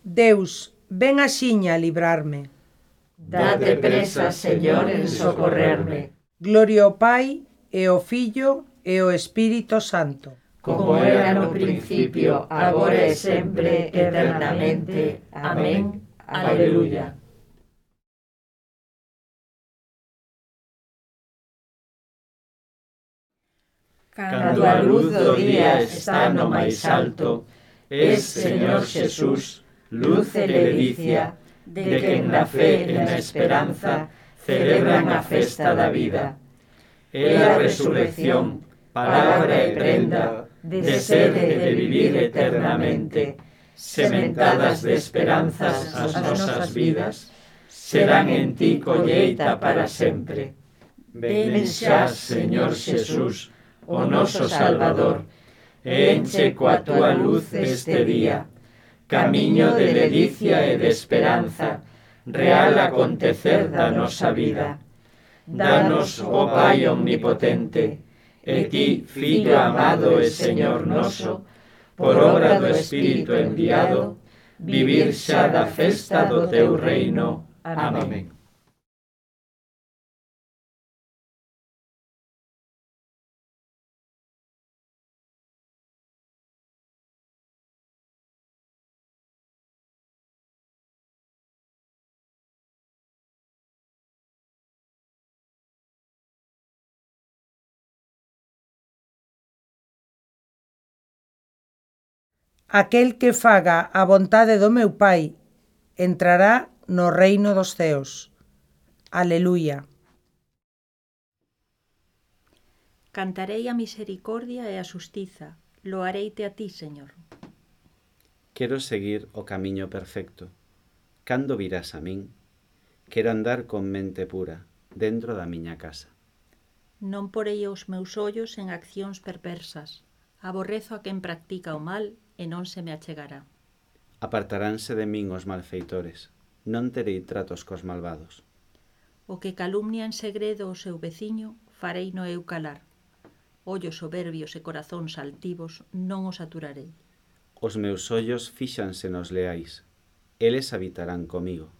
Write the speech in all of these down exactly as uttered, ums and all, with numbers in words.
Deus, ven axiña a librarme. Date presa, Señor, en socorrerme. Gloria ao Pai, e ao Fillo, e ao Espírito Santo. Como era no principio, agora e sempre, eternamente. Amén. Aleluya. Cando a luz do día está no máis alto, es, Señor Xesús, luz e ledicia, de quen na fe e na esperanza celebran a festa da vida. É a resurrección, palabra e prenda, de sede e de vivir eternamente, sementadas de esperanzas as nosas vidas, serán en ti colleita para sempre. Ven xa, Señor Xesús, o noso Salvador, e enche coa túa luz este día, camiño de ledicia e de esperanza, real acontecer da nosa vida. Danos, ó Pai omnipotente, e ti, Fillo amado e Señor noso, por obra do Espírito enviado, vivir xa da festa do teu reino. Amén. Aquel que faga a vontade do meu Pai entrará no reino dos ceos. Aleluya. Cantarei a misericordia e a xustiza, loareite a ti, Señor. Quero seguir o camiño perfecto. Cando virás a min? Quero andar con mente pura, dentro da miña casa. Non porei os meus ollos en accións perversas. Aborrezo a quen practica o mal e non se me achegará. Apartaránse de min os malfeitores. Non terei tratos cos malvados. O que calumnia en segredo o seu veciño, farei no eu calar. Ollos soberbios e corazóns altivos non os aturarei. Os meus ollos fíxanse nos leais. Eles habitarán comigo.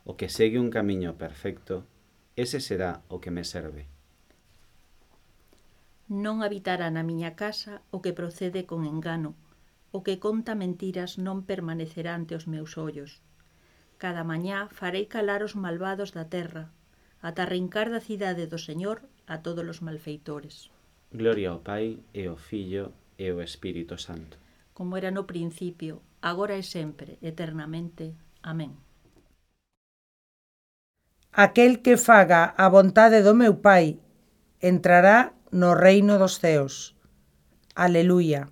O que segue un camiño perfecto, ese será o que me serve. Non habitará na miña casa o que procede con engano, o que conta mentiras non permanecerá ante os meus ollos. Cada mañá farei calar os malvados da terra, ata arrincar da cidade do Señor a todos os malfeitores. Gloria ao Pai, e ao Fillo, e ao Espírito Santo. Como era no principio, agora e sempre, eternamente. Amén. Aquel que faga a vontade do meu Pai entrará no reino dos ceos. Aleluya.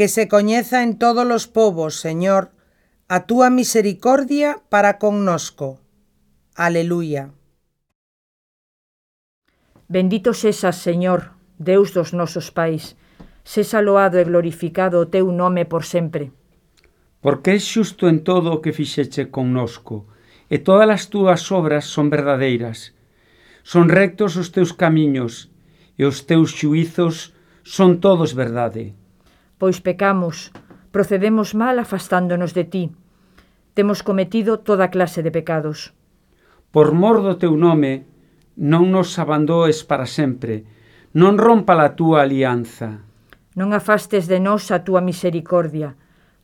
Que se coñeza en todos os povos, Señor, a túa misericordia para connosco. Aleluya. Bendito sexas, Señor, Deus dos nosos pais, sexa loado e glorificado o teu nome por sempre. Porque és xusto en todo o que fixeche connosco, e todas as túas obras son verdadeiras. Son rectos os teus camiños, e os teus xuízos son todos verdade. Pois pecamos, procedemos mal afastándonos de ti. Temos cometido toda clase de pecados. Por mor do teu nome, non nos abandoes para sempre, non rompa a túa alianza. Non afastes de nós a túa misericordia,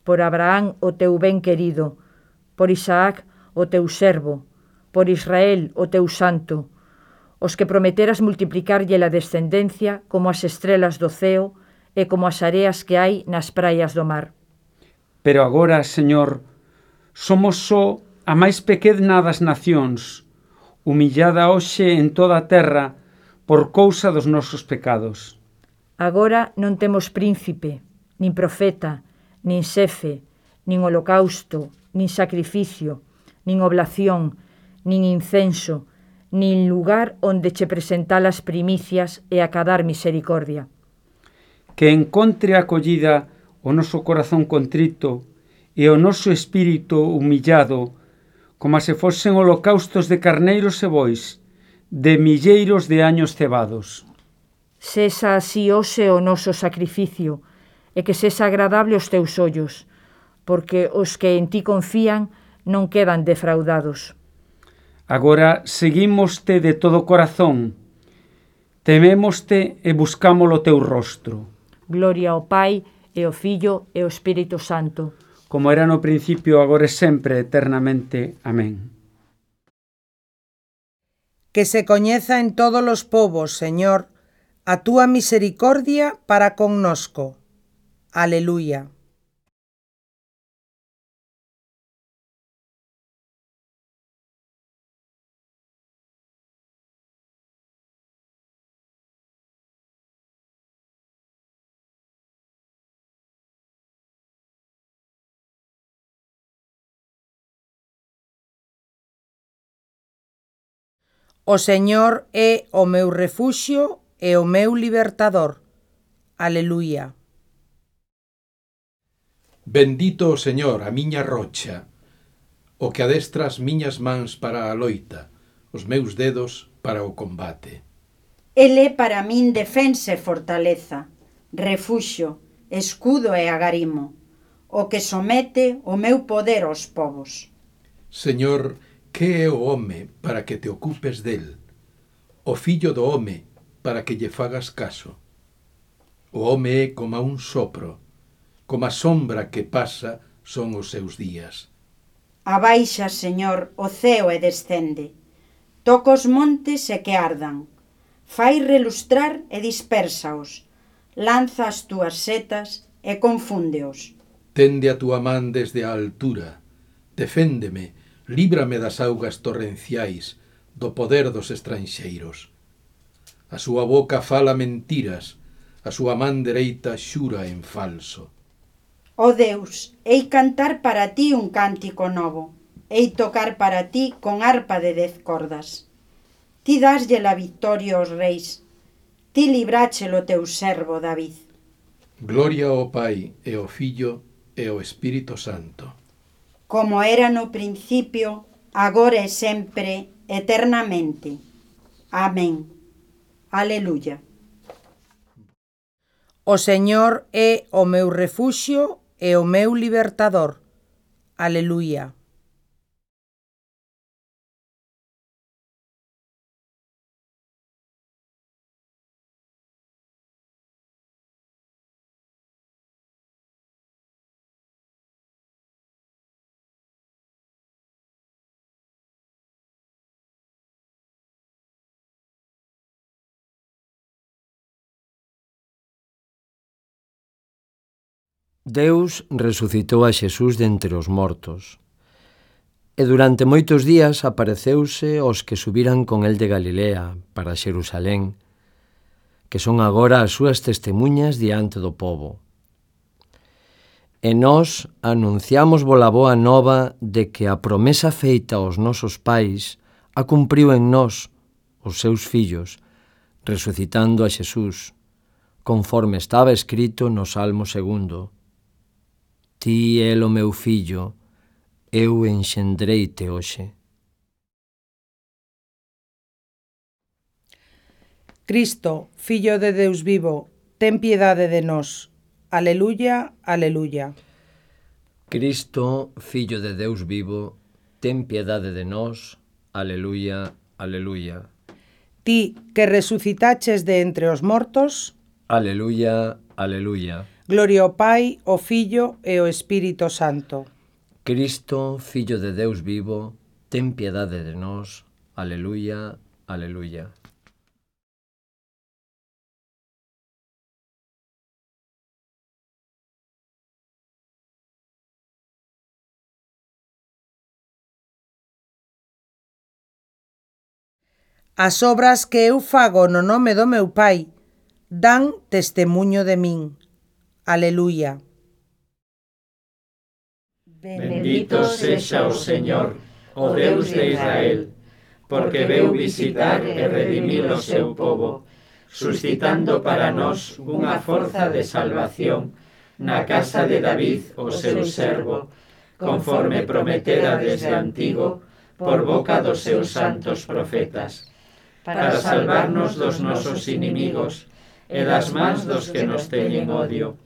por Abraham o teu ben querido, por Isaac o teu servo, por Israel o teu santo, os que prometeras multiplicarlle a descendencia como as estrelas do ceo e como as areas que hai nas praias do mar. Pero agora, Señor, somos só a máis pequena das nacións, humillada hoxe en toda a terra por cousa dos nosos pecados. Agora non temos príncipe, nin profeta, nin xefe, nin holocausto, nin sacrificio, nin oblación, nin incenso, nin lugar onde che presentar as primicias e acadar misericordia. Que encontre acollida o noso corazón contrito e o noso espírito humillado, como se fosen holocaustos de carneiros e bois, de milleiros de años cebados. Sexa así hoxe o noso sacrificio, e que sexa agradable aos teus ollos, porque os que en ti confían non quedan defraudados. Agora seguímoste de todo corazón, temémoste e buscámolo o teu rostro. Gloria ao Pai, e ao Fillo, e ao Espírito Santo. Como era no principio, agora e sempre, eternamente. Amén. Que se coñeza en todos os povos, Señor, a túa misericordia para connosco. Aleluya. O Señor é o meu refuxio e o meu libertador. Aleluya. Bendito o Señor, a miña rocha, o que adestra as miñas mans para a loita, os meus dedos para o combate. El é para min defensa e fortaleza, refuxio, escudo e agarimo, o que somete o meu poder aos povos. Señor, que é o home para que te ocupes del? O fillo do home para que lle fagas caso? O home é como un sopro, como a sombra que pasa son os seus días. Abaixa, Señor, o ceo e descende. Toca os montes e que ardan. Fai relustrar e dispersaos. Lanza as túas setas e confúndeos. Tende a túa man desde a altura. Deféndeme, líbrame das augas torrenciais, do poder dos estranxeiros. A súa boca fala mentiras, a súa man dereita xura en falso. Ó Deus, hei cantar para ti un cántico novo, hei tocar para ti con arpa de dez cordas. Ti daslle la victoria aos reis, ti libráchelo teu servo David. Gloria ao Pai, e ao Fillo, e ao Espírito Santo. Como era no principio, agora e sempre, eternamente. Amén. Aleluya. O Señor é o meu refuxio e o meu libertador. Aleluya. Deus resucitou a Xesús de entre os mortos, e durante moitos días apareceuse aos que subiran con el de Galilea para Xerusalén, que son agora as súas testemuñas diante do pobo. E nós anunciamos vola boa nova de que a promesa feita aos nosos pais a cumpriu en nós, os seus fillos, resucitando a Xesús, conforme estaba escrito no Salmo segundo. Ti é o meu fillo, eu enxendreite hoxe. Cristo, Fillo de Deus vivo, ten piedade de nós. Aleluya, aleluya. Cristo, Fillo de Deus vivo, ten piedade de nós. Aleluya, aleluya. Ti que resucitaches de entre os mortos. Aleluya, aleluya. Gloria ao Pai, ao Fillo e ao Espírito Santo. Cristo, Fillo de Deus vivo, ten piedade de nós. Aleluya, aleluya. As obras que eu fago no nome do meu Pai dan testemuño de min. Aleluya. Bendito sexa o Señor, o Deus de Israel, porque veu visitar e redimir o seu povo, suscitando para nós unha forza de salvación na casa de David, o seu servo, conforme prometera desde antigo, por boca dos seus santos profetas, para salvarnos dos nosos inimigos e das mans dos que nos teñen odio,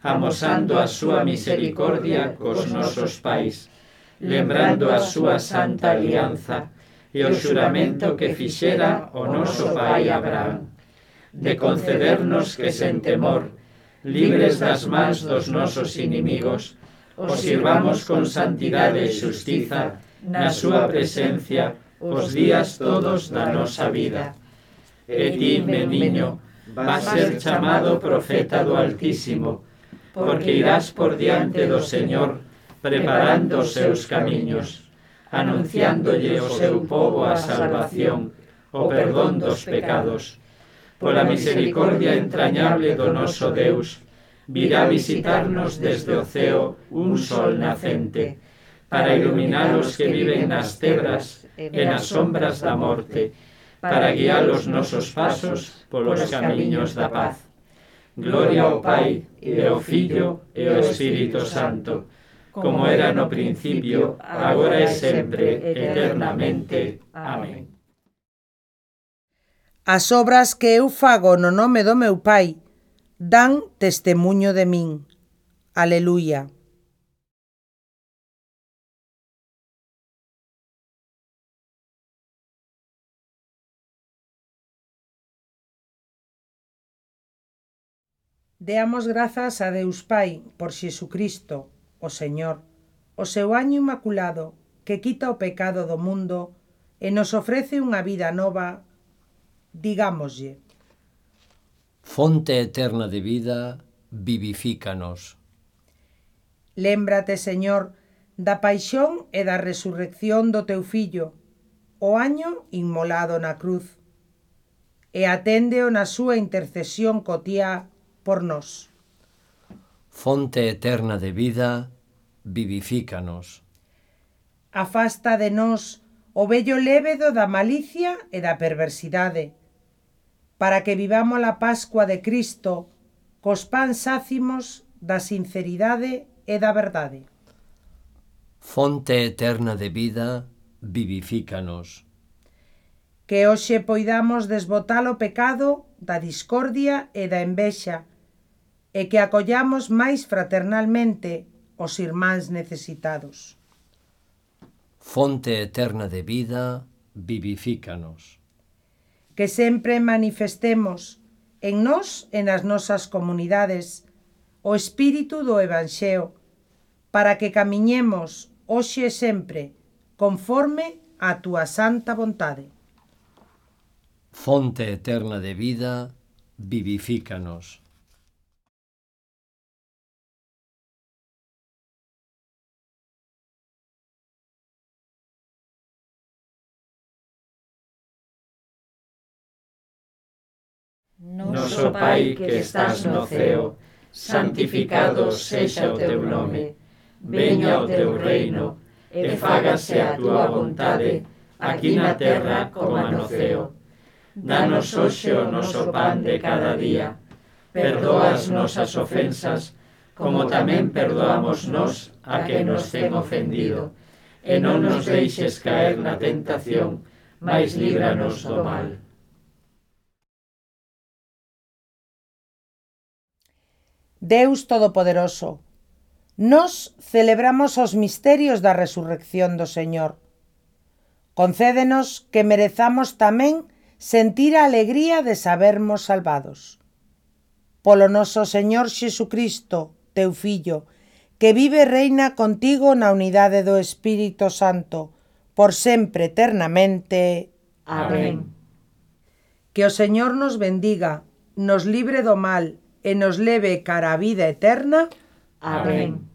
amosando a súa misericordia cos nosos pais, lembrando a súa santa alianza e o xuramento que fixera o noso pai Abraham, de concedernos que sen temor, libres das mans dos nosos inimigos, os sirvamos con santidade e xustiza na súa presencia os días todos da nosa vida. E ti, meniño, vas ser chamado profeta do Altísimo, porque irás por diante do Señor, preparando os seus camiños, anunciándolle ao seu povo a salvación, o perdón dos pecados. Pola misericordia entrañable do noso Deus, virá visitarnos desde o ceo un sol nacente, para iluminar os que viven nas tebras e nas sombras da morte, para guiar os nosos pasos polos camiños da paz. Gloria ao Pai, e ao Filho, e ao Espírito Santo, como era no principio, agora e sempre, eternamente. Amén. As obras que eu fago no nome do meu Pai dan testemuño de min. Aleluia. Deamos grazas a Deus Pai por Xesucristo, o Señor, o seu año inmaculado, que quita o pecado do mundo e nos ofrece unha vida nova. Digámoslle: Fonte eterna de vida, vivifícanos. Lémbrate, Señor, da paixón e da resurrección do teu Fillo, o año inmolado na cruz, e aténdeo na súa intercesión cotiá por nós. Fonte eterna de vida, vivifícanos. Afasta de nós o vello lévedo da malicia e da perversidade, para que vivamos a Pascua de Cristo cos pans sácimos da sinceridade e da verdade. Fonte eterna de vida, vivifícanos. Que hoxe poidamos desbotar o pecado da discordia e da envexa, e que acollamos máis fraternalmente os irmáns necesitados. Fonte eterna de vida, vivifícanos. Que sempre manifestemos en nós e nas nosas comunidades o espírito do Evanxeo, para que camiñemos hoxe e sempre conforme a túa santa vontade. Fonte eterna de vida, vivifícanos. Noso Pai que estás no ceo, santificado sexa o teu nome. Veña o teu reino, e fágase a túa vontade, aquí na terra como no ceo. Danos hoxe o noso pan de cada día. Perdoa as nosas ofensas, como tamén perdoamos nós a que nos ten ofendido. E non nos deixes caer na tentación, mais líbranos do mal. Deus Todopoderoso, nós celebramos os misterios da resurrección do Señor. Concédenos que merezamos tamén sentir a alegría de sabermos salvados. Polo noso Señor Xesucristo, teu Fillo, que vive e reina contigo na unidade do Espírito Santo, por sempre eternamente. Amén. Que o Señor nos bendiga, nos libre do mal e nos leve cara a vida eterna. Amén.